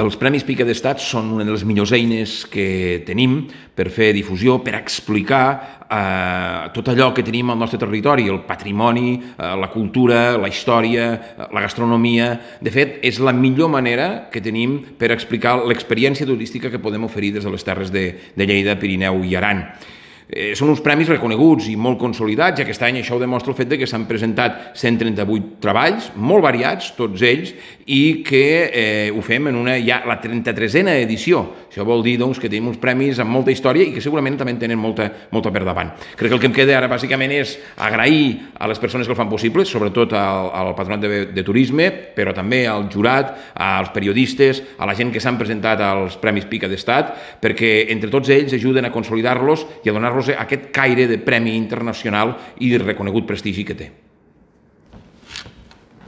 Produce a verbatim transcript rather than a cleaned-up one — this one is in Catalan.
Els Premis Pica d'Estat són una de les millors eines que tenim per fer difusió, per explicar eh, tot allò que tenim al nostre territori, el patrimoni, eh, la cultura, la història, la gastronomia. De fet, és la millor manera que tenim per explicar l'experiència turística que podem oferir des de les terres de, de Lleida, Pirineu i Aran. Eh, són uns premis reconeguts i molt consolidats, i aquest any això ho demostra el fet que s'han presentat cent trenta-vuit treballs, molt variats, tots ells, i que eh, ho fem en una, ja la trenta-tresena edició. Això vol dir doncs, que tenim uns premis amb molta història i que segurament també tenen molta, molta per davant. Crec que el que em queda ara bàsicament és agrair a les persones que el fan possible, sobretot al, al Patronat de, de Turisme, però també al jurat, als periodistes, a la gent que s'han presentat als Premis Pica d'Estat, perquè entre tots ells ajuden a consolidar-los i a donar-los aquest caire de premi internacional i de reconegut prestigi que té.